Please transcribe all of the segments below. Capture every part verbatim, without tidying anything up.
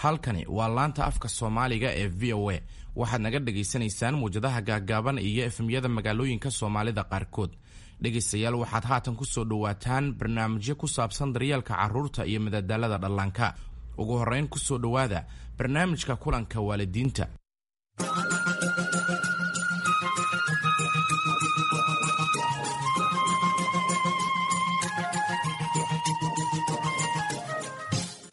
Halkani waa laanta afka Soomaaliga ee V O A. Waxaad naga dhagaysanaysaan muwjadaha gaaggaaban iyo F M-yada magaalooyinka Soomaalida qaarkood. Dhegaystayaal, waxaad haatan ku soo dhowaataan barnaamijyo ku saabsan daryeelka carruurta iyo madadaalada dhallaanka. Ugu horrayn, ku soo dhowaada barnaamijka kulanka waalidiinta.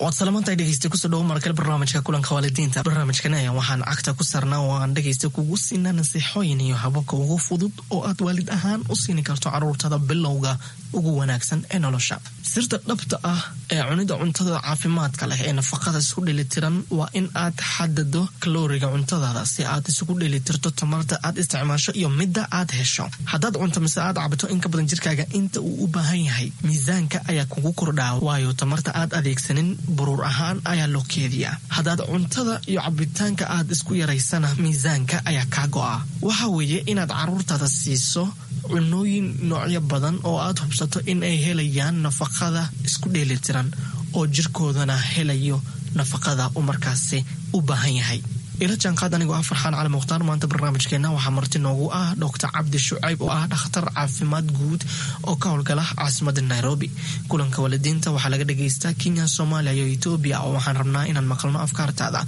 Waad salamantahay, dhegeysta. Kusoo dhawo markale barnaamijka kulanka waalidiinta. Barnaamijkan ayaa waxaan cagta ku saarnaa oo aan dhegeysta kugu siinaa nasiixooyin iyo hababka ugu fudud oo aad waalid ahaan u siini karto caruurtada bilowga ugu wanaagsan ee nolosha. Sirta dhabta ah ee cunida cuntada caafimaadka leh ee nafaqada isku dheelitiran waa in aad xadado kalooriga cuntadaada si aad isugu dheelitirto tamarta aad isticmaasho iyo midda aad hesho. Haddaad cunto mise aad cabto in ka badan jirkaaga inta uu u baahan yahay, miisaanka ayaa kugu kordhaa, waayo tamarta aad adeegsanin buruur ahaan ayaa loo keediyaa. Haddaad cuntada iyo cabitaanka aad isku yaraysana, miisaanka ayaa kaa go'a. Waxa weeye inaad caruurtaada siiso cunooyin noocyo badan oo aad hubsato in ay helayaan nafaqada isku dheelitiran oo jirkoodana helayo nafaqada uu markaasi u baahan yahay. Ila jaanqaad anigoo ah Farxaan Cali Mukhtaar. Maanta barnaamijkeena waxaa marti noogu ah Doctor Cabdi Shucayb oo ah dhakhtar caafimaad guud oo ka howlgala caasimada Nairobi. Kulanka waalidiinta waxaa laga dhagaystaa Kenya, Soomaaliya iyo Etoobiya, oo waxaan rabnaa inaan maqalno afkaartaada.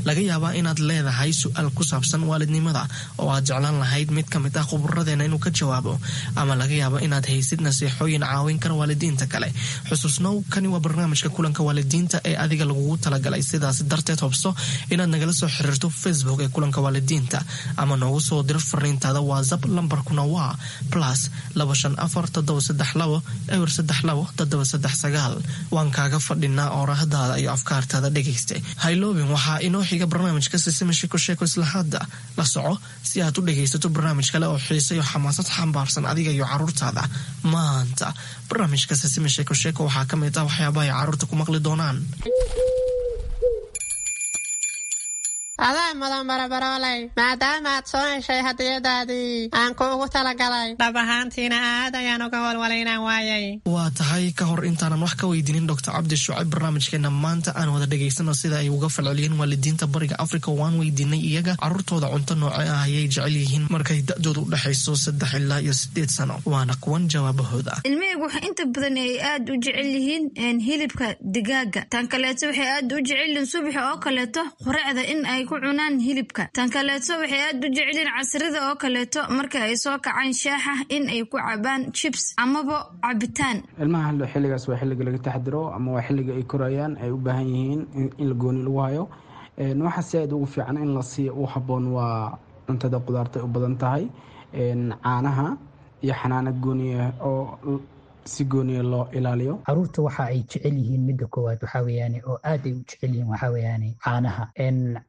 Laga yaabaa inaad leedahay su-aal ku saabsan waalidnimada oo aad jeclaan lahayd mid ka mid ah khuburadeena inuu ka jawaabo, ama laga yaabo inaad haysid nasiixooyin caawin kara waalidiinta kale. Xusuusnow, kani waa barnaamijka kulanka waalidiinta ee adiga lagugu talagalay. Sidaas darteed, hobso inaad nagala soo xiriirto Facebook ee kulanka waalidiinta ama noogu soo diro fariintaada WhatsApp. Lambarkuna waa plus laba shan afar toddoba saddex labo eber saddex labo toddoba saddex sagaal. Waan kaaga fadhinaa oorahdaada iyo afkaartaada, dhegaysta. Hayloobin, waxaa inoo xiga barnaamijka Sisima Sheko Sheeko. Isla hadda la soco si aad u dhegaysato barnaamij kale oo xiise iyo xamaasad xambaarsan adiga iyo caruurtaada. Maanta barnaamijka Sisima Sheeko Sheeko waxaa ka mid ah waxyaabaha ay caruurta ku maqli doonaan. Adaa mudan, barabarooley, maadaama aad soo heshay hadiyadaadii aan kuugu talagalay. Dhab ahaantiina aad ayaan uga walwalay inaan waayay. Waa tahay. Ka hor intaanan wax ka weydiinin Doctor Cabdi Shucayb barnaamijkeena maanta, aan wada dhegaysano sida ay uga falceliyeen waalidiinta Bariga Africa. Waan weydiinay iyaga caruurtooda cunto nooce ah ayay jecel yihiin markay da-dooda u dhexayso saddex ilaa iyo sideed sano. Waana kuwan jawaabahooda. Ilmahaygu waxa inta badan ay aad u jecel yihiin hilibka digaaga. Tan kaleeto, waxay aad u jecel yihiin subaxa oo kaleeto quraacda in ay ku cunaan hilibka. Tan kaleeto, waxay aad u jecelyihiin casrida oo kaleeto marka ay soo kacaan shaaxa in ay ku cabaan chips amaba cabitaan. Ilmaha xilligaas waa xilliga laga taxdiro ama waa xilliga ay korayaan, ay u baahan yihiin in la gooni lagu hayo. Waxa si aad ugu fiican in la siiyo u habboon waa cuntada qudaarta u badan tahay, caanaha iyo xanaano gooniya oo si gooniya loo ilaaliyo. Caruurta waxa ay jecel yihiin, midda koowaad waxaa weeyaane oo aad ay u jecel yihiin, waxaa weeyaane caanaha.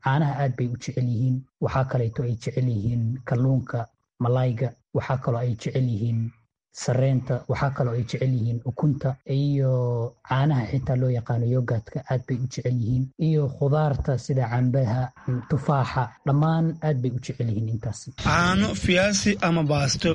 Caanaha aad bay u jecel yihiin. Waxaa kaleeto ay jecel yihiin kalluunka, malayga. Waxaa kaloo ay jecel yihiin sareenta. Waxaa kaloo ay jecel yihiin ukunta iyo caanaha xitaa loo yaqaano yogurtka aad bay u jecel yihiin, iyo khudaarta sida cambaha, tufaaxa, dhammaan aad bay u jecel yihiin intaas. Caano, fiyaasi ama baasto.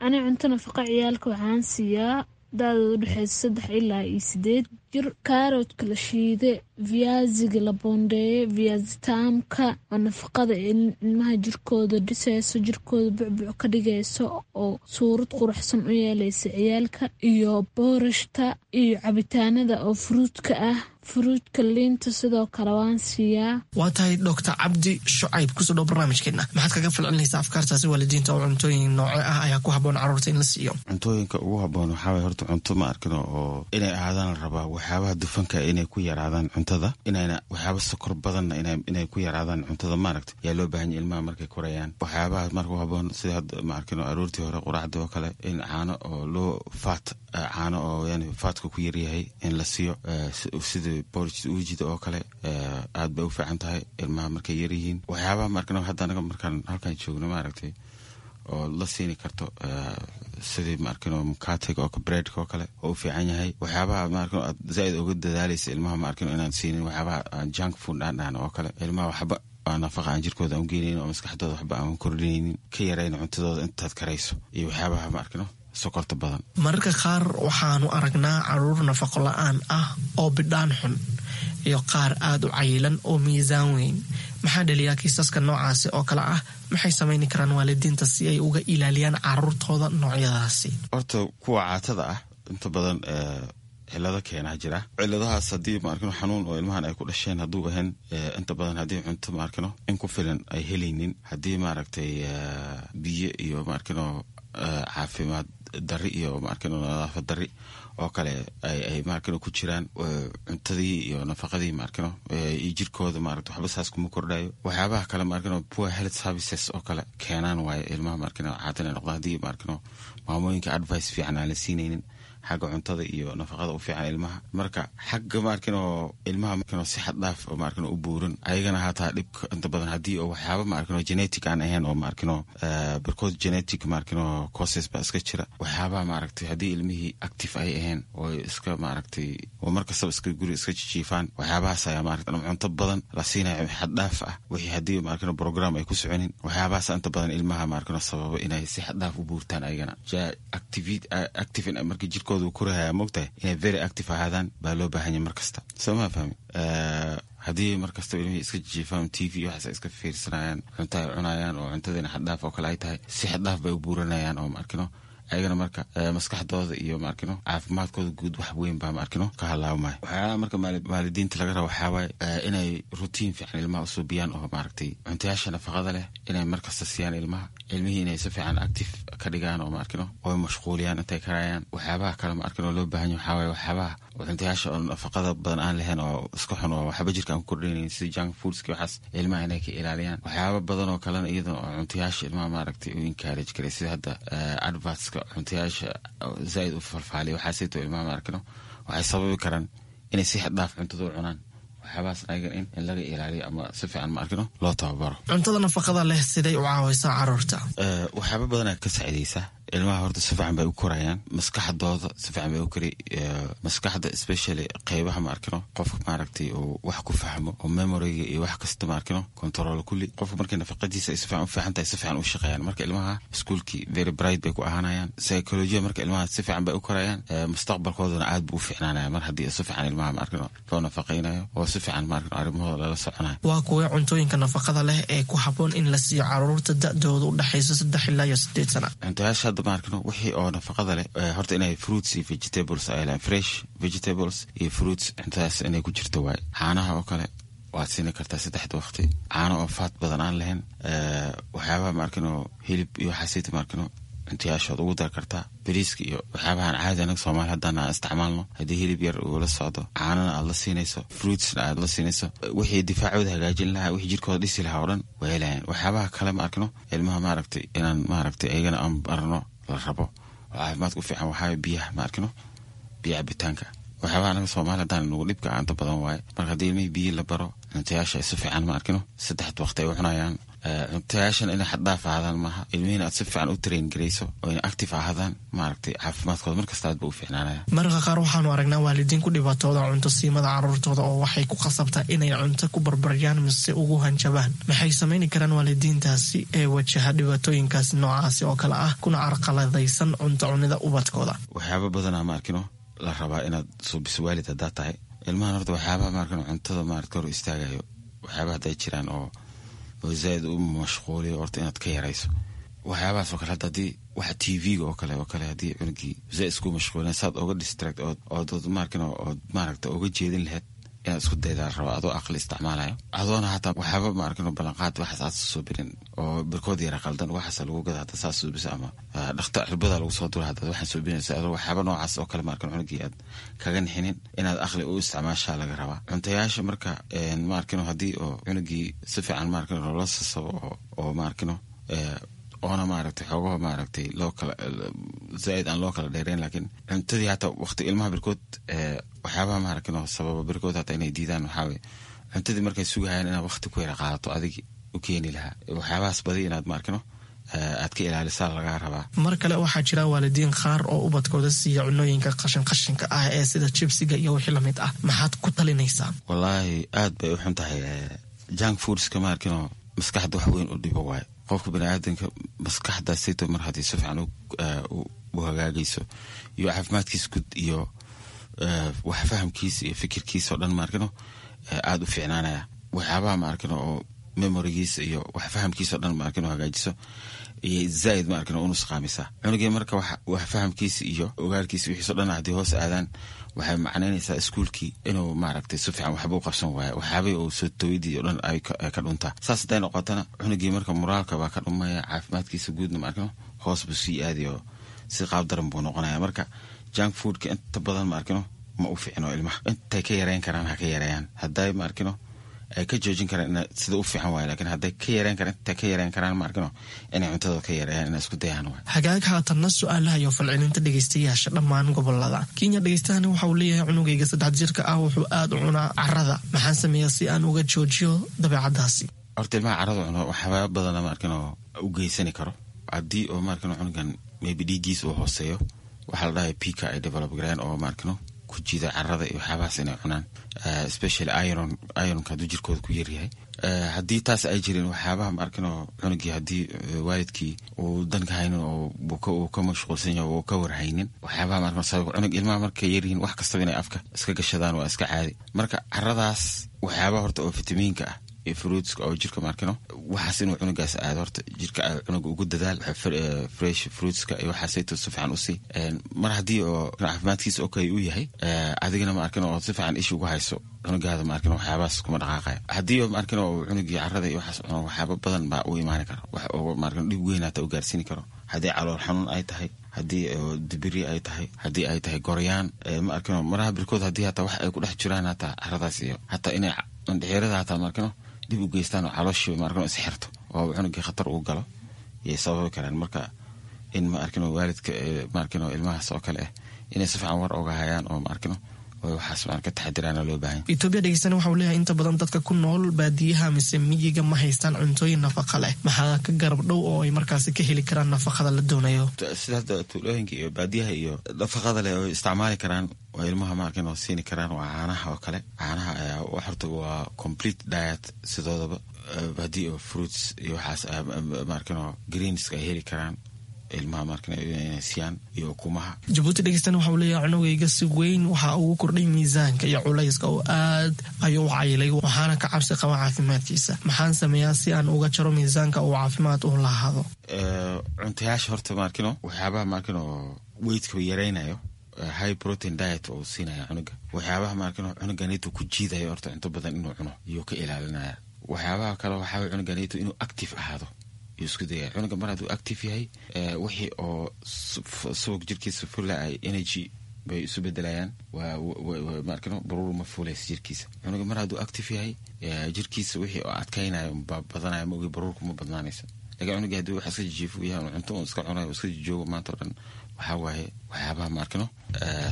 Ani cunto nafaqa ciyaalka waxaan siiyaa da-dooda udhexeysa saddex ilaa iyo sideed jir kaaroodka la shiide, viyaasiga la boondeeye, viyaasi taamka oo nafaqada ilmaha jirkooda dhiseyso, jirkooda bucbuc ka dhigayso oo suurad quruxsan u yeeleysa ciyaalka, iyo boorashta iyo cabitaanada oo furuudka ah, furuudka, liinta sidoo kale waan siiyaa. Waa tahay. Doctor Cabdi Shucayb, kusoo dhow barnaamijkeena. Maxaad kaga falcelinaysaa afkaartaasi waalidiinta oo cuntooyin nooce ah ayaa ku habboon caruurta in la siiyo? Cuntooyinka ugu habboon waxaa waye horta cunto, ma arkino, oo inay ahaadaan la rabaa waxyaabaha dufanka inay ku yaraadaan cuntada, inayna waxyaaba sokor badanna inay ku yaraadaan cuntada, maaragta, yaa loo baahan yahay ilmaha markay korayaan. Waxyaabaha marka u habboon sida hadda, ma arkino, aroortii hore quraacdii oo kale in caano oo loo faat, caano oo yani fatka ku yaryahay in la siiyo, sida porridge uujida oo kale, aad bay u fiican tahay ilmaha markay yaryihiin. Waxyaabaha, ma arkino, hadda anaga markaan halkan joogno, maaragtay, oo la siini karto sidii, ma arkino, mukatiga oo breadka oo kale oo u fiican yahay. Waxyaabaha, ma arkino, aad zaaid uga dadaalaysa ilmaha, ma arkino, inaan siinin waxyaabaha junk food aan dhahno oo kale, ilmaha waxba nafaqa aan jirkooda aan u geenaynin oo maskaxdooda waxba aan kordhinaynin, ka yarayn cuntadooda intaad karayso, iyo waxyaabaha, ma arkino, sokorta badan. Mararka qaar waxaanu aragnaa caruur nafaqo la-aan ah oo bidhaan xun. iyo qaar aada u cayilan oo miisaan weyn. Maxaa dhaliyaa kiisaska noocaasi oo kale ah? Maxay samayni karaan waalidiinta si ay uga ilaaliyaan caruurtooda noocyadaasi? Horta kuwa caatada ah inta badan cilado keenaa jira. Ciladahaas haddii maarkino xanuun oo ilmahan ay ku dhasheen hadduu ahayn, inta badan haddii cunto maarkino in ku filan ay helaynin, haddii maaragtay biyo iyo maarkino caafimaad dari iyo maarkino nadaafad dari oo kale ay maarkino ku jiraan, cuntadii iyo nafaqadii maarkino iyo jirkooda maaragta waxba saas kuma kordhayo. Waxyaabaha kale maarkino poor health services oo kale keenaan waayo ilmaha maarkino caatan ay noqdaan, haddii maarkino maamooyinka advice fiican aan la siinaynin xagga cuntada iyo nafaqada u fiican ilmaha. Marka xagga maarkino ilmaha maarkino si xad dhaaf oo maarkino u buuran ayagana hataa dhibka inta badan haddii oo waxyaaba maarkino genetic aan ahayn oo maarkino barkood genetic maarkino causes baa iska jira. Waxyaabaha maaragtay haddii ilmihii active ay ahayn oo iska maaragtay oo markastaba iska guri iska jijiifaan, waxyaabahaas ayaa maaragtay ama cunto badan la siinayo xad dhaaf ah, wixii haddii maarkino program ay ku soconin, waxyaabahaas inta badan ilmaha maarkino sababa inay si xad dhaaf u buurtaan ayagana. Active active markii jirkooda korahaya moogtahay inay very active ahaadaan baa loo baahanya mar kasta, soo maa fahmi? Haddii mar kastaba ilmihii iska jijiifaan, T V waxaas ay iska fiirsanayaan, cunto ay cunayaan oo cuntadiina xaddhaaf oo kale ay tahay, si xaddhaaf bay u buuranayaan oo maarkino ayagana marka maskaxdooda iyo maarkino caafimaadkooda guud wax weyn baa maarkino ka halaabmaya. Waxyaalaha marka waalidiinta laga raba waxaa waaye inay routine fiican ilmaha usuubiyaan oo maaragtay cuntayaasha nafaqada leh inay markasta siiyaan ilmaha, ilmihii inay si fiican active ka dhigaan oo maarkino oo mashquuliyaan intay karayaan. Waxyaabaha kale maarkino loo baahan yahay waxaa waaye waxyaabaha cuntayaasha oo nafaqada badan aan lahayn oo iska xun oo waxba jirka aan ku kordhinaynin sida junk foodski, waxaas ilmaha inay ka ilaaliyaan. Waxyaaba badan oo kalena iyadana oo cuntayaasha ilmaha maaragtay u encourage karay, sida hadda advertska cuntayaasha zaaid u falfaaliya, waxaasayto ilmaha maarkino waxay sababi karaan inay si xad dhaaf cuntada u cunaan. Waxyaabahaas ayagan in in laga ilaaliyo ama si fiican maarkino loo tababaro. Cuntada nafaqada leh siday u caawaysaa caruurta? Waxyaaba badanaa ka saacidaysa ilmaha. Horta si fiican bay u korayaan, maskaxdooda si fiican bay u kori, maskaxda especially qeybaha maarkino qofka maaragtay uu wax ku fahmo oo memoryga iyo wax kasta maarkino control kulli. Qofka markay nafaqadiisa ay si fiican u fiican tahay, si fiican u shaqeeyaan. Marka ilmaha iskuulkii very bright bay ku ahaanayaan, psychology marka ilmaha si fiican bay u korayaan, mustaqbalkoodana aad buu u fiicnaanaya mar haddii si fiican ilmaha maarkino loo nafaqaynayo oo si fiican maarkino arrimahooda lala soconayo. Waa kuwee cuntooyinka nafaqada leh ee ku habboon in la siiyo caruurta da-dooda u dhexayso saddex ilaa iyo sideed sana? Cuntayaasha hadda maarkino wixii oo nafaqada leh horta inay fruits iyo vegetables ay lehan, fresh vegetables iyo fruits cuntadaas inay ku jirto waaye. Caanaha oo kale waad siini kartaa saddexda waqti, caano oo faat badan aan lahayn. Waxyaabaha maarkino hilib iyo waxaasita maarkino cuntayaashood ugu dar kartaa, bariiska iyo waxyaabahan caadi anaga soomaali haddaan aan isticmaalno. Haddii hilib yar uu la socdo, caanana aad la siinayso, fruitsna aad la siinayso, wixii difaacooda hagaajin lahaa, wixii jirkooda dhisi lahaa oo dhan waa helayaan. Waxyaabaha kale ma arkino ilmaha maaragtay inaan maaragtay ayagana aan barno la rabo oo caafimaadka u fiican waxaa biyaha maarkino, biyo cabitaanka. Waxyaabaha anaga soomaali haddaan nagu dhibka inta badan waaye. Marka haddii ilmihii biyo la baro, cuntayaasha si fiican ma arkino saddexda waqti ay u cunayaan, cuntayaashan inay xaddhaaf ahaadaan maaha, ilmihiina aad si fiican u train garayso oo inay active ahaadaan, maaragtay caafimaadkooda markasta aad ba u fiicnaanaya. Mararka qaar waxaanu aragnaa waalidiin ku dhibaatooda cunto siimada caruurtooda oo waxay ku khasabtaa inay cunto ku barbaryaan mise ugu hanjabaan. Maxay samayni karaan waalidiintaasi ee wajaha dhibaatooyinkaasi noocaasi oo kale ah kuna carqaladaysan cunto cunida ubadkooda? Waxyaaba badanaa ma arkino la rabaa inaad suubiso waalid haddaa tahay ilmahan. Horta waxyaabaha maarkino cuntada maaragta hor istaagayo, waxyaabaha hadday jiraan oo oo zaaid u mashquuliyo, horta inaad ka yarayso waxyaabahaas oo kale. Hadda haddii waxa T V-ga oo kale oo kale haddii cunugii zaaid isku mashquulin, saad oga distract ood ood maarkino ood maaragta oga jeedin lahayd inaad isku daydaa la rabaa, adoo aqli isticmaalayo, adoona hataa waxyaaba maarkino ballanqaad waxaas aad soo birin oo barkood yara qaldan waxaas lagu gada hadda saas suubisa ama dhakta cirbada lagu soo dura hadda waxaan suubinaysa, adoo waxyaaba noocaas oo kale maarkino cunugii aad kaga nixinin, inaad aqli u isticmaashaa laga rabaa cuntayaasha. Marka maarkino haddii oo cunugii si fiican maarkino loola sasabo oo oo maarkino oona maaragtay xoogaha maaragtay loo kala zaaid aan loo kala dheereyn, laakiin cuntadii hataa waqti ilmaha barkood waxyaabaha maaragtay sababa barkood hataa inay diidaan waxaa weye cuntadii markay sugahayaan inaad waqti ku yara qaadato adigi u keeni lahaa, waxyaabahaas badi inaad maarkino aad ka ilaalisaa lagaa rabaa. Mar kale waxaa jira waalidiin qaar oo ubadkooda siiya cunooyinka qashin qashinka ah ee sida jibsiga iyo wixii lamid ah. Maxaad ku talinaysaa? Wallaahi aad bay u xun tahay junk foodska maarkino, maskaxda wax weyn u dhibo waayo. Qofka baniaadanka maskaxdaasito mar haddii si fiican u hagaagayso iyo caafimaadkiisa guud iyo wax fahamkiisa iyo fikirkiisa oo dhan maarkino aada u fiicnaanaya. Waxyaabaha maarkino oo memorigiisa iyo wax fahamkiisa o dhan maarkino hagaajiso iyo zaaid maarkino u nusqaamisaa cunugii. Marka wax fahamkiisa iyo ogaalkiisa wixiiso dhan haddii hoos aadaan, waxay macnaynaysaa iskuulkii inuu maaragtay si fiican waxba u qabsan waayo, waxyaabihii uu soo tawidii o dhan ay ka dhuntaa. Saas hadday noqotana, cunugii marka moraalka baa ka dhumaya, caafimaadkiisa guudna maarkino hoos buu sii aadayo, si qaab daran buu noqonaya. Marka junk foodka inta badan maarkino ma u fiicno ilmaha. Intay ka yareyn karaan ha ka yareeyaan, hadday maarkino ay ka joojin karaan ina sida u fiican waay, lakiin hadday ka yareyn karaan, intay ka yareyn karaan maarkino inay cuntada ka yareeyaan, inay isku dayaan waay. Hagaag, haatanna su-aalaha iyo falcelinta dhegeystayaasha dhammaan gobolada Kenya. Dhegeystahani waxa uu leeyahay: cunugayga saddex jirka ah wuxuu aada u cunaa carada, maxaan sameeyaa si aan uga joojiyo dabeecadaasi? Horta ilmaha carada cuno waxyaaba badana maarkino u geysani karo. Haddii oo maarkino cunugan maybe dhiiggiisa uu hooseeyo, waxaa la dhahay pika ay develop gareen oo maarkino ku jiida carada iyo waxyaabahaas inay cunaan, especially iron. Ironka hadduu jirkooda ku yaryahay, haddii taas ay jirin, waxyaabaha maarkino cunugii haddii waalidkii uu danka haynin oo uu ka mashquulsan yahay oo ka warhaynin, waxyaabaha maarkino sabab cunug ilmaha markay yaryihiin wax kastaba inay afka iska gashadaan waa iska caadi. Marka caradaas waxyaabaha horta oo fitamiinka ah iyo fruitska oo jirka maarkino waxaas inuu cunugaas aado, horta jirka cunuga ugu dadaal fresh fruitska iyo waxaasayto si fiican usii. Mar haddii oo caafimaadkiisa okay uu yahay, adigana maarkino oo si fiican isha ugu hayso cunugaada, maarkino waxyaabahaas kuma dhaqaaqaya. Haddii oo maarkino uu cunugii carada iyo waxaas cuno, waxyaaba badan baa u imaani kara, wax oo maarkino dhib weyn hata u gaarsiini karo. Haddii calool xanuun ay tahay, haddii dibiri ay tahay, haddii ay tahay goryaan, ma arkino maraha birkood haddii hataa wax ay ku dhex jiraan hataa caradaas iyo hataa inay indhexeerada hataa maarkino dib u geystaan oo calooshii maarkino isxirto oo cunugii khatar uu galo yay sababi karaan. Marka in ma arkino waalidka maarkino ilmahaas oo kale ah inay si fiican war oga hayaan oo maarkino waxaas maan ka taxadiraana loo baahan. Etoobiya dhegeystana waxa uu leeyahay: inta badan dadka ku nool baadiyaha mise miyiga ma haystaan cuntooyin nafaqa leh, maxaa ka garab dhow oo ay markaasi ka heli karaan nafaqada la doonayo? Sida hadda tuulooyinka iyo baadiyaha iyo nafaqada leh oo isticmaali karaan oo ilmaha maarkin oo siini karaan waa caanaha oo kale. Caanaha ayaa horta waa complete diet sidoodaba. Haddii oo fruits iyo waxaas maarkin oo greenska ay heli karaan ilmaha markan inay siiyaan iyo ukumaha. Jabuuti dhegeystana waxa uu leeyahay: cunugayga si weyn waxa ugu kordhay miisaanka iyo culayska oo aad ayuu u cayilay, waxaana ka cabsi qaba caafimaadkiisa. Maxaan sameeyaa si aan uga jaro miisaanka uu caafimaad u lahaado? Cuntayaasha horta maarkino waxyaabaha maarkino weightka yaraynayo, high protein diet oo siinaya cunuga. Waxyaabaha maarkino cunuganito ku jiidayo horta cunto badan inuu cuno iyuu ka ilaalinaya. Waxyaabaha kale waxaa cunuganito inuu active ahaado yuu isku dayaya. Cunuga mar hadduu active yahay, wixii oo subag jirkiisa fula ay energy bay isu bedelayaan, maarkino baruur ma fuulaysa jirkiisa. Cunuga mar hadduu active yahay, jirkiisa wixii oo adkaynaya baa badanaya, ma ogi baruurku ma badnaanaysa. Lakin cunuga haddii wax iska jijiifo yahay, cunto un iska cunayo, iska jijoogo maanta o dhan, waxaa waaye waxyaabaha maarkino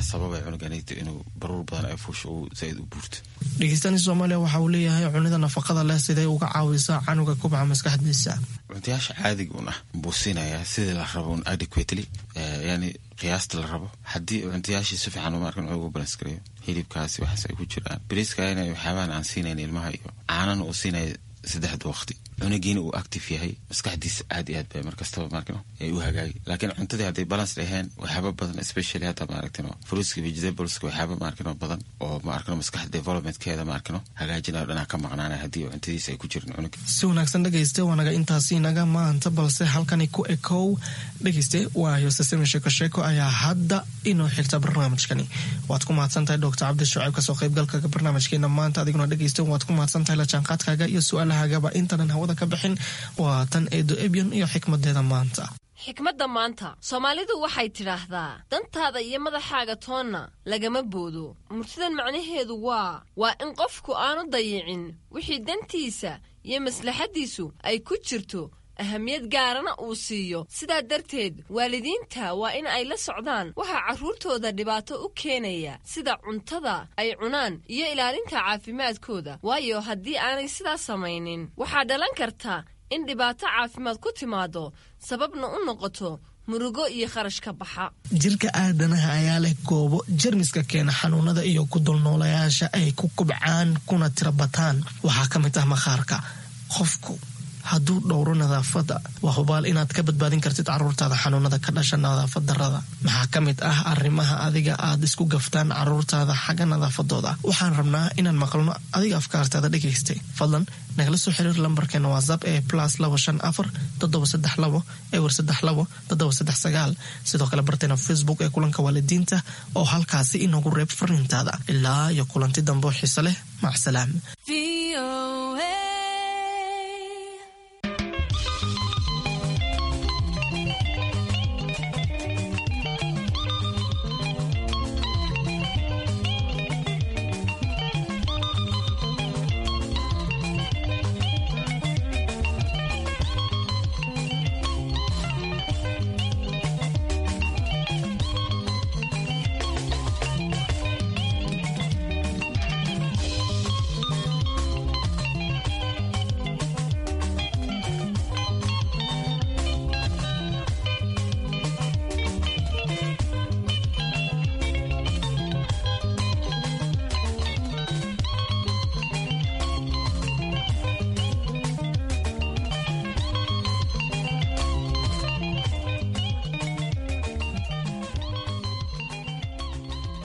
sababay cunuganito inuu baruur badan ay fuusho uu zaaid u buurto. Dhegeystani Soomaaliya waxa uu leeyahay: cunida nafaqada leh sidee uga caawisaa canuga kubca maskaxdiisa? Cuntayaasha caadiga un ah buu siinayaa sidii la rabo un adequately, yani qiyaasta la rabo. Haddii cuntayaashii si fiican maarkan ugu balance gareeyo, hilibkaasi waxaas ay ku jiraan, bariiska ina waxyaabahan aan siinayn ilmaha iyo caanana uu siinaya saddexda waqti, cunugiina uu active yahay, maskaxdiisa aad iyo aad bay markastaba maarkino ay u hagaagi. Laakiin cuntadii hadday balance dhaheen, waxyaaba badan, especially hadda maaragtino fruitska, vegetables-ka, waxyaaba maarkino badan oo maarkino maskaxda developmentkeeda maarkino hagaajinayo dhanaa ka maqnaanaya haddii cuntadiisa ay ku jirin cunuga. Si wanaagsan dhegayste, waa naga intaasi naga maanta, balse halkani ku ekow dhegayste. Waayo sasame sheeko sheeko ayaa hadda inoo xigta barnaamijkani. Waad ku mahadsantahay Doctor Cabdi Shucayb kasoo qaybgalka barnaamijkeena maanta. Adiguna dhegayste waad ku mahadsantahay la jaanqaadkaaga iyo su-aalahagaba. Intanan hawada ka bixin, waa tan Eedo Ebyon iyo xikmadeeda maanta. Xikmadda maanta, Soomaalidu waxay tidhaahdaa: dantaada iyo madaxaaga toonna lagama boodo. Murtidan macnaheedu waa waa in qofku aanu dayicin wixii dantiisa iyo maslaxaddiisu ay ku jirto, ahamiyad gaarana uu siiyo. Sidaa darteed waalidiinta waa in ay la socdaan waxaa carruurtooda dhibaato u keenaya, sida cuntada ay cunaan iyo ilaalinta caafimaadkooda, waayo haddii aanay sidaas samaynin waxaa dhalan karta in dhibaato caafimaad ku timaado, sababna u noqoto murugo iyo kharash ka baxa. Jirka aadanaha ayaa leh goobo jermiska keena xanuunada iyo ku dulnoolayaasha ay ku kubcaan kuna tirabataan. Waxaa ka mid ah maqaarka. Qofku hadduu dhowro nadaafadda, waa hubaal inaad ka badbaadin kartid caruurtaada xanuunada ka dhasha nadaafad darrada. Maxaa ka mid ah arrimaha adiga aad isku gaftaan caruurtaada xagga nadaafadooda? Waxaan rabnaa inaan maqalno adiga afkaartaada dhegaystay. Fadlan nagala soo xiriir lambarkeena WhatsApp ee plus labo shan afar toddoba saddex labo ewer saddex labo toddoba saddex sagaal. Sidoo kale barteena Facebook ee kulanka waalidiinta oo halkaasi inoogu reeb fariintaada. Ilaa iyo kulanti dambe oo xiise leh, macsalaam.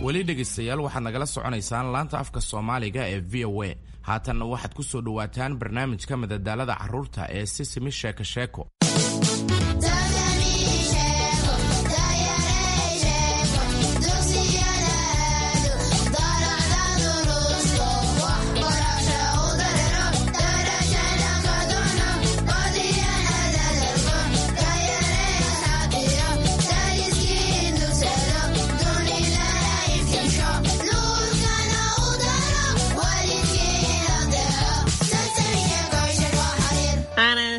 Weli dhegaystayaal, waxaad nagala soconaysaan laanta afka Soomaaliga ee V O A. Haatanna waxaad ku soo dhowaataan barnaamijka madadaalada carruurta ee Sisimi Sheeko Sheeko.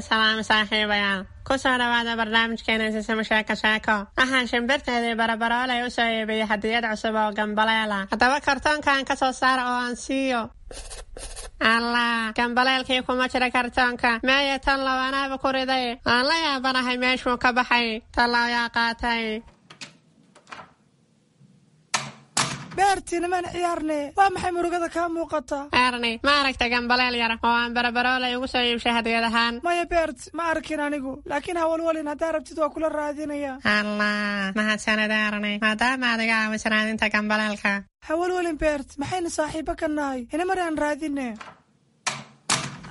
Salaam saaxiibayaal, kusoo dhawaada barnaamijkeena Sisimo Sheeko Sheeko. Waxaan shimbirteedii Barabaroolay u soo iibiyey hadiyad cusub oo gambaleela. Haddaba kartoonkan ka soo saara oo aan siiyo. Allah, gambaleelkii kuma jira kartoonka. Meeye tan lawanaaba ku riday? Aan la yaabanahay meeshuu ka baxay. Tallow yaa qaatay? Beerti, nimaan ciyaarne, waa maxay murugada kaa muuqata? Erni, ma aragta gambaleel yar oo aan Barabaroolay ugu soo iibshay hadiyad ahaan? Maya Beert, ma arkin anigu, laakiin hawalwalin, haddaa rabtid waa kula raadinaya. Allah, mahadsanid Erni, maadaama aad iga caawiso raadinta gambaleelka. Hawalwalin Beert, maxaynu saaxiibo ka nahay? Inamar aan raadine.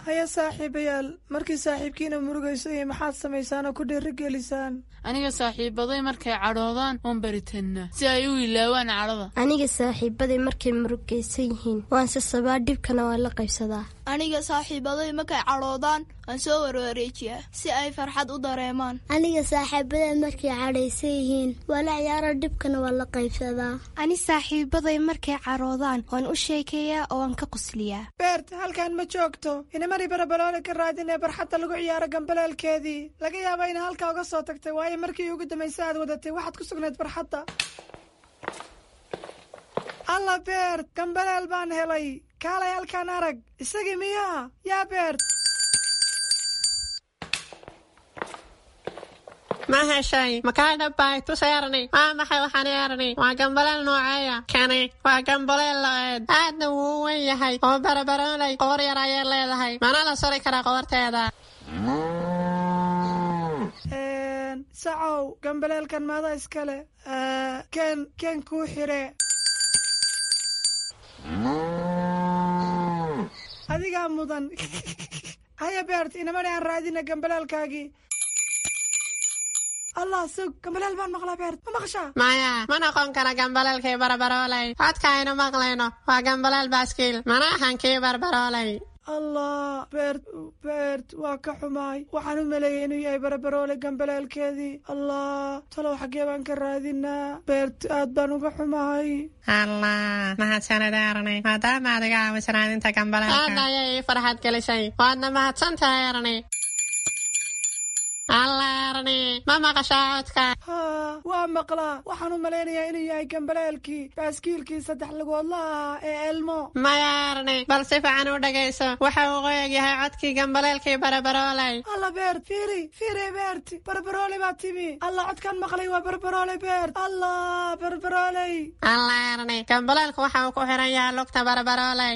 Haya saaxiibayaal, markii saaxiibkiina murugayso iyo maxaad samaysaan oo ku dhiirigelisaan? Aniga saaxiibaday markay cadhoodaan waan baritannaa si ay u ilaawaan cadhada. Aniga saaxiibaday markay murugaysan yihiin waan sasabaa, dhibkana waan la qaybsadaa. Aniga saaxiibaday markay cadhoodaan waan soo warwareejiyaa si ay farxad u dareemaan. Aniga saaxiibaday markay cadhaysan yihiin waa la ciyaaro, dhibkana waan la qaybsadaa. Ani saaxiibaday markay cadhoodaan waan u sheekeeyaa oo waan ka qosliyaa. Beert, halkan ma joogto. Inamari Barabaloole ka raadinee barxadda lagu ciyaaro gambaleelkeedii. Laga yaaba ina halkaa uga soo tagtay, waayo markii ugu dambaysa aad wadatay waxaad ku sugnayd barxadda. Alla Beert, gambaleel baan helay. Kaalay halkaan arag. Isagii miyaa? Yaa Beert? Ma heshay? Makaa dhabbay? Tus Erni. Waa maxay waxaan Erni? Waa gambaleel nooceeya? Kani waa gambaleel lo'eed, aadna wuu u weyn yahay oo Barabaroolay qoor yar ayay leedahay, mana la suri karaa qoorteeda. Sacow, gambaleelkan maada iskale? Keen keen kuu xire. Adigaa mudan. Haya Beert, inamani aan raadina gambaleelkaagii. Allah, sug, gambaleel baan maqlaa. Beert, ma maqashaa? Maya, ma noqon kara gambaleelkii Barabaroolay. Codka aynu maqlayno waa gambaleel baaskiil, mana ahan kii Barbaroolay. Allah Beert, Beert, waa ka xumaay. Waxaan u maleeyay inuu yahay Barabaroole gambaleelkeedii. Allah, talow xaggee baan ka raadinaa? Beert, aad baan uga xumahay. Allah, mahadsanid Erni, maadaama aad iga caawiso raadinta gambaleelka. Aad ayay ii farxad gelisay, waadna mahadsan tahay Erni. Allah Erni, ma maqashaa codka? Haa, waa maqlaa. Waxaan u malaynayaa inuu yahay gambaleelkii baaskiilkii saddex lugoodlaha ahaa ee Elmo. Maya Erni, bal si fiican u dhegayso. Waxa uu qoyag yahay codkii gambaleelkii Barabaroolay. Alla Beert, fiiri fiiri Beert, Barabarooley baa timi. Allah, codkaan maqlay waa Barabarooley Beert. Allah, Barabarooley. Allah Erni, gambaleelku waxa uu ku xiran yahay lugta Barabarooley.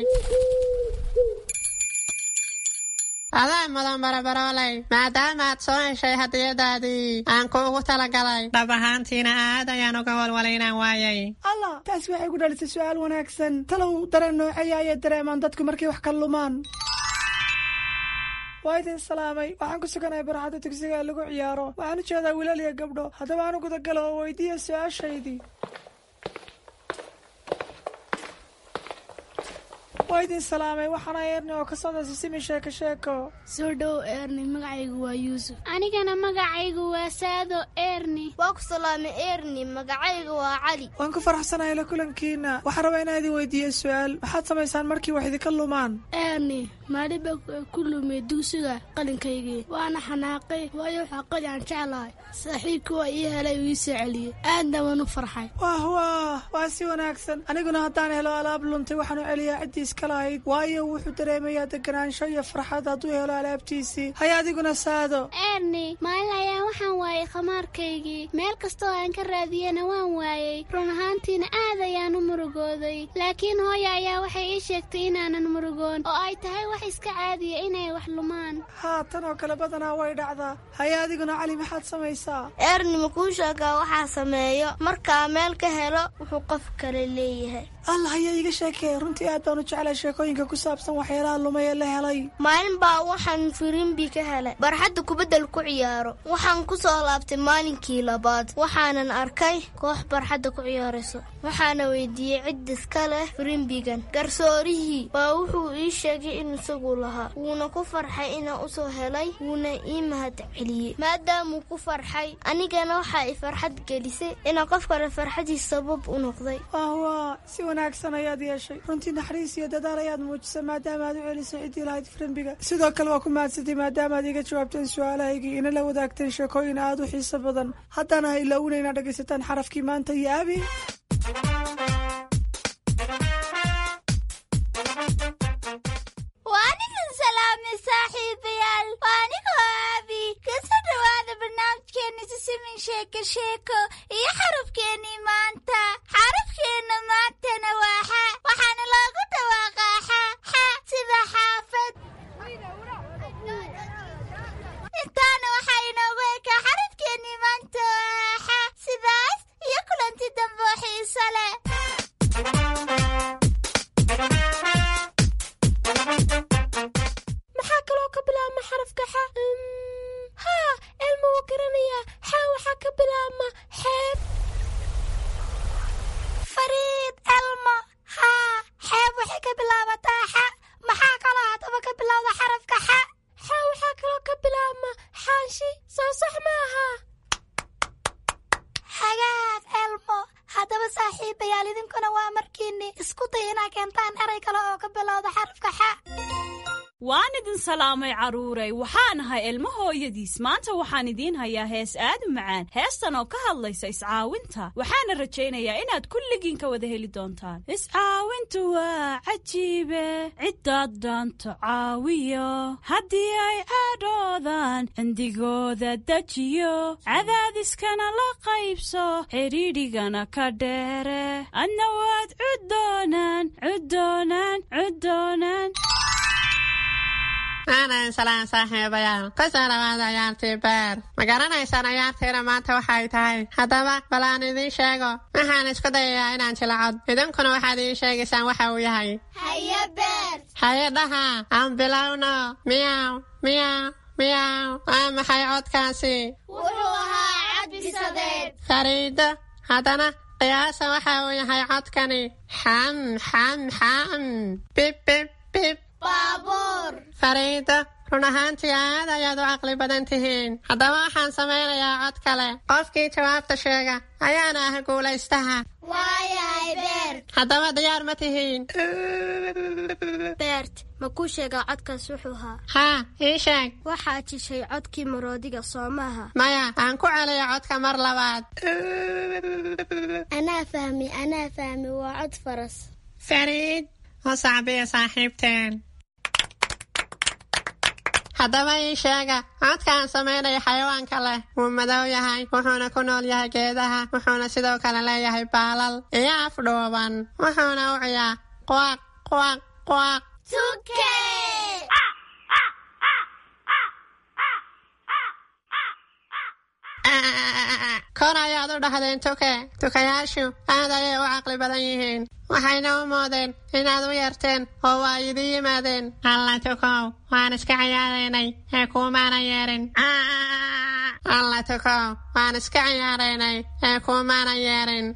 Adaa mudan barabarooley, maadaama aad soo heshay hadiyadaadii aan kuugu talagalay. Dhab ahaantiina aad ayaan uga walwalay inaan waayay. Allah, taasi waxay ku dhalisay su'aal wanaagsan. Talow dareen nooceeya ayay dareemaan dadku markay wax ka lumaan? Waa idin salaamay. Waxaan ku suganahay barxadda dugsiga ee lagu ciyaaro. Waxaan u jeedaa wiilal iyo gabdho. Haddaba aan u gudagalo oo weydiiya su-aashaydii. Waa idin salaamay, waxaana Eerni oo ka socda Sisimi Sheeko Sheeko. Soo dhow Eerni, magacaygu waa Yuusuf. Anigana magacaygu waa Saado Eerni. Waa ku salaamay Eerni, magacaygu waa Cali. Waan ku faraxsanahay la kulankiina. Waxaan rabaa inaan idin weydiiyo su-aal. Maxaad samaysaan markii wax idinka lumaan? Eerni, maalin baa ku lumay dugsiga qalinkaygii, waana xanaaqay, waayo waxaa qali aan jeclahay. Saaxiibkii waa ii helay uu ii soo celiyey, aadna waan u farxay. Wah wah, waa si wanaagsan. Aniguna haddaan helo alaab luntay, waxaan u celiyaa ciddii iska lahayd, waayo wuxuu dareemayaa deganaansho iyo farxad hadduu helo alaabtiisii. Haya adiguna Saado. Eerni, maalin ayaa waxaan waayay khamaarkaygii. Meel kastoo aan ka raadiyena waan waayey. Run ahaantiina aad ayaan u murugooday, laakiin hooya ayaa waxay ii sheegtay inaanan murugoon oo ay tahay wax iska caadiya inay wax lumaan. Haa, tan oo kale badanaa way dhacdaa. Haya adiguna Cali, maxaad samaysaa? Eerni, ma kuu sheegaa waxaa sameeyo markaa meel ka helo wuxuu qof kale leeyahay? Allah, haya iiga sheekee. Runtii aad baan u jeclay sheekooyinka ku saabsan waxyaalaha lumay ee la helay. Maalin baa waxaan firimbi ka helay barxadda kubaddal ku ciyaaro. Waxaan ku soo laabtay maalinkii labaad, waxaanan arkay koox barxadda ku ciyaarayso. Waxaana weydiiyey cid iska leh firimbigan. Garsoorihii baa wuxuu ii sheegay in isagu lahaa, wuuna ku farxay inaan usoo helay, wuuna ii mahad celiyey. Maadaamuu ku farxay, anigana waxaa i farxad gelisay inaan qof kale farxadiis sabab u noqday. Wah, si wanaagsan ayaad yeeshay. Runtii naxariis iyo dadaal ayaad muujisay maadaama aad u celisay ciddii lahayd firimbiga. Sidoo kale waa ku mahadsantay maadaama aad iga jawaabteen su-aalahaygii ina la wadaagteen sheekooyin aad u xiiso badan. Haddana ha ilaawina inaad dhegaysataan xarafkii maanta iyo Abi. Waan idin salaamay saaxiibayaal, waa anigoo Aabi. Kasoo dhawaada barnaamijkeena Sisimin Sheeko Sheeko iyo xarafkeennii maanta. Xarafkeenna maantana waa xa, waxaana loogu dhawaaqaa xa xa sida xaafad. Intaana waxaa inoogu ekaa xarafkeennii maanta waa xa. Sidaas iyo kulanti dambe oo xiiso leh. Maxaa kaloo ka bilaabma xarafka xa? Haa, Elma wuu garanayaa. Xa waxaa ka bilaabma xeeb. Fariid, Elmo, haa, xeeb waxay ka bilaabataa xa. Maxaa kaloo haddaba ka bilowda xarafka xa? Xa waxaa kaloo ka bilaabma xaanshi. Soo sax maaha? Hagaag Elmo. Haddaba saaxiibayaal, idinkuna waa markiinni isku day inaa keentaan erey kale oo ka bilowda xarafka xa. Waan idin salaamay carruuray, waxaan ahay Ilmo hooyadiis. Maanta waxaan idiin hayaa hees aad u macaan, heestan oo ka hadlaysa iscaawinta. Waxaana rajaynayaa inaad kulligiin ka wada heli doontaan. Iscaawintu waa cajiibe, ciddaad dhaanto caawiyo, haddii ay cadhoodaan cindigooda dejiyo, cadaadiskana la qaybso, xidhiidhigana ka dheere, adna waad cuddoonaan cuddoonaan cuddoonaan. Aanan salaan saaxiibayaal, kusoo dhawaada ciyaartii beer. Ma garanaysaan ciyaartiina maanta waxay tahay? Haddaba bal aan idiin sheego. Waxaan isku dayayaa inaan jilacod, idinkuna waxaad ii sheegaysaan waxa uu yahay. Haye Beer. Haye dhaha, aan bilowno. Miyaw miyaw miyaw, waa maxay codkaasi? Wuxuu ahaa cad bisadeed. Fariido, haddana qiyaasa waxa uu yahay codkani. Xam xam xam, bib bib bib. Baabuur. Fariido, run ahaantii aad ayaad u caqli badan tihiin. Haddaba waxaan samaynayaa cod kale. Qofkii jawaabta sheega ayaana ah guulaystaha. Waayahay Beert. Haddaba diyaar ma tihiin? Beert, ma kuu sheegaa codkaas wuxuu ahaa? Haa, ii sheeg. Waxaad jishay codkii maroodiga, soo maaha? Maya, aan ku celiyo codka mar labaad. Anaa fahmi, anaa fahmi, waa cod faras. Fariid, u sacbiya saaxiibteen. Haddaba ii sheega codka aan samaynaya xayawaanka leh. Wuu madow yahay, wuxuuna ku nool yahay geedaha, wuxuuna sidoo kale leeyahay baalal iyo af dhuuban, wuxuuna u ciyaa quaq quaq quaq. Tuke. Kor ayaad u dhahdeen tuke. Tukayaashu aad ayay u caqli badan yihiin, waxayna u moodeen inaad u yeerteen oo waa idin yimaadeen. Alla tukow, waan iska ciyaaraynay ee kuumaana yeerin. Alla tukow, waan iska ciyaaraynay ee kuumaana yeerin.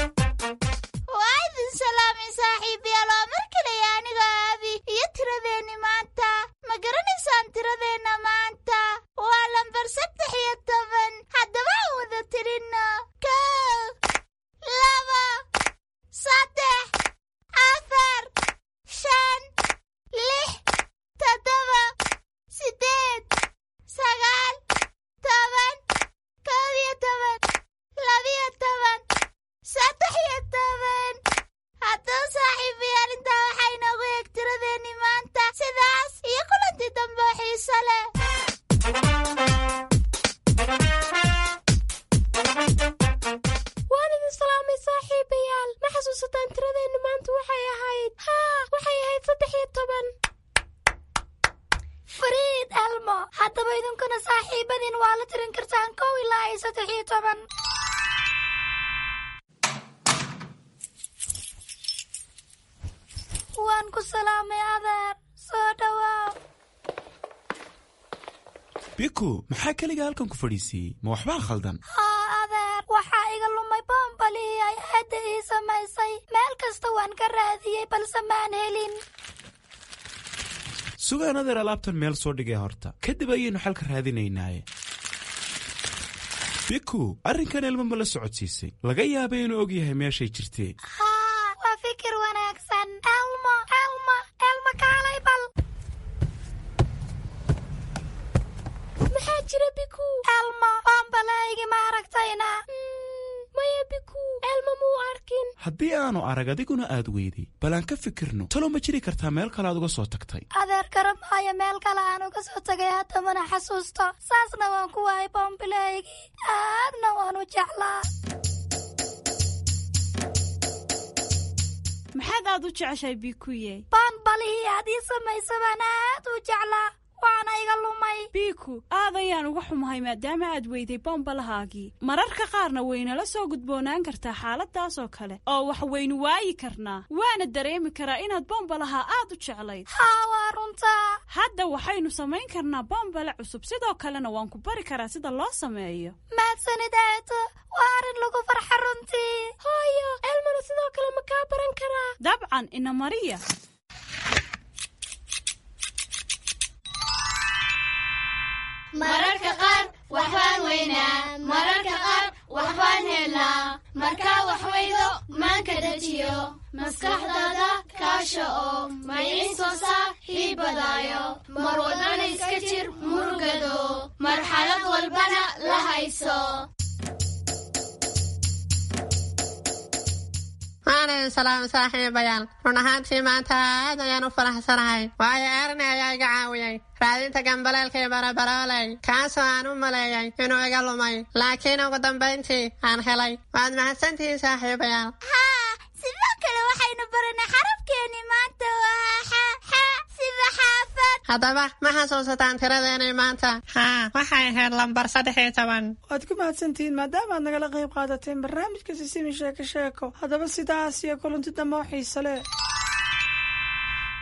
Waa idin salaamay saaxiibayaal, waa mar kaleya aniga Aabi iyo tiradeenni maanta. Ma garanaysaan tiradeenna maanta? Waa lambar saddex iyo toban. Haddaba aan wada tirinno: kow, laba, saddex, afar, shan, lix, toddoba, siddeed, sagaal, toban, kow iyo toban, labiyo toban, saddex iyo toban. Haddaba saaxiibayaal, intaa waxaa inoogu eeg tiradeenni maanta. Sidaas iyo kulantii dambe oo xiiso leh. Waan idin salaamay saaxiibayaal. Ma xasuusataan tiradeennu maanta waxay ahayd? Haa, waxay ahayd saddex iyo toban. Fariid Elmo, haddaba idinkuna saaxiibadiin waa la tirin kartaan kow ilaa iyo saddex iyo toban. Waan ku salaamay adeer, soo dhawaaw. Biku, maxaa keliga halkan ku fadhiisiiyey? Ma waxbaa khaldan? Haa adeer, waxaa iga lumay boombalihii ay aadda ii samaysay. Meel kasta waan ka raadiyey balse maan helin. Sugaan adeer, alaabtan meel soo dhigay horta, kadib ayaynu xalka raadinaynaaye. Biku, arrinkan Elmo ma la socodsiisay? Laga yaabay inuu og yahay meeshay jirtee. Haa, waa fikir wanaagsan. Elmo, Elmo, Elmo, kaalay bal. Maxaa jira, Biku? Elmo, boombalahaygi ma aragtayna? Maya Biku, Elmo muu arkin. Haddii aanu arag adiguna aad weyday, bal aan ka fikirno. Talo ma jiri kartaa meel kale aad uga soo tagtay? Adeer, garan maayo meel kale aan uga soo tagay, hadda mana xasuusto. Saasna waan ku waayay boombilahaygii, aadna waan u jeclaa. Maxaad aad u jeceshahay, Bikuye? Boonbalihii aad ii samaysa baan aad u jeclaa, waana iga lumay. Biku, aad ayaan uga xumahay maadaama aad weyday bombalahaagii. Mararka qaarna waynala soo gudboonaan kartaa xaaladaas oo kale oo wax waynu waayi karnaa, waana dareemi karaa inaad bombalaha aad u jeclayd. Haa, waa runtaa. Hadda waxaynu samayn karnaa bombale cusub, sidoo kalena waan ku bari karaa sida loo sameeyo. Mahadsanid aato, waa arrin lagu farxa runtii. Hooyo, Elmona sidoo kale ma kaa baran karaa? Dabcan, ina mariya. Mararka qaar waxbaan weynaa, mararka qaar waxbaan helnaa. Markaa wax weydo maanka dejiyo, maskaxdaada kaasha oo maciin soo saaxiibadaayo. Mar walbana iska jir murugado, marxalad walbana la hayso. Waan idin salaamay saaxiibayaal. Run ahaantii maanta aad ayaan u faraxsanahay, waayo Erni ayaa iga caawiyey raadinta gambaleelkii barabarooley, kaasoo aan u maleeyay inuu iga lumay, laakiin ugu dambayntii aan helay. Waad mahadsantihiin saaxiibayaal. Haa, sidoo kale waxaynu baranay xarafkeenni maanta waa xa, xa sida xaafad. Haddaba ma xasuusataan tiradeenii maanta? Haa, waxay ahayd lambar saddex iyo toban. Waad ku mahadsantihiin maadaama aad nagala qayb qaadateen barnaamijka Sisimi Sheeko Sheeko. Haddaba sidaas iyo kulanti dambe oo xiise leh.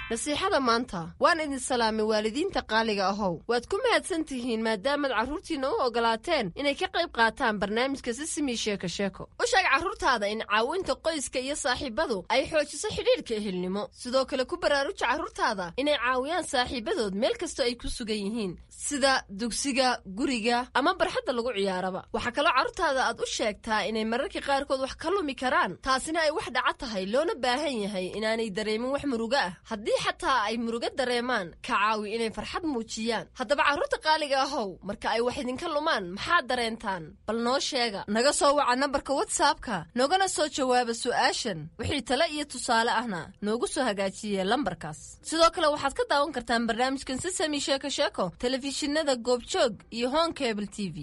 Nasiixada maanta. Waan idin salaamay waalidiinta qaaliga ahow. Waad ku mahadsan tihiin maadaamaad carruurtiinna u ogolaateen inay ka qayb qaataan barnaamijka Sisimi Sheeko Sheeko. U sheeg carruurtaada in caawinta qoyska iyo saaxiibadu ay xoojiso xidhiidhka ehelnimo. Sidoo kale ku baraaruja carruurtaada inay caawiyaan saaxiibadood meel kastoo ay ku sugan yihiin, sida dugsiga, guriga ama barxadda lagu ciyaaraba. Waxaa kaloo carruurtaada aad u sheegtaa inay mararka qaarkood wax ka lumi karaan, taasina ay wax dhaca tahay, loona baahan yahay inaanay dareemin wax murugo ah. Haddii xataa ay murugo dareemaan, ka caawi inay farxad muujiyaan. Haddaba carruurta qaaliga ahow, marka ay wax idinka lumaan maxaad dareentaan? Bal noo sheega. Naga soo waca nambarka WhatsAppka, noogana soo jawaaba su'aashan. Wixii tale iyo tusaale ahna noogu soo hagaajiye lambarkaas. Sidoo kale waxaad ka daawan kartaan barnaamijkan Sisami Sheeko Sheeko telefishinada Goobjoog iyo Horn Cable T V.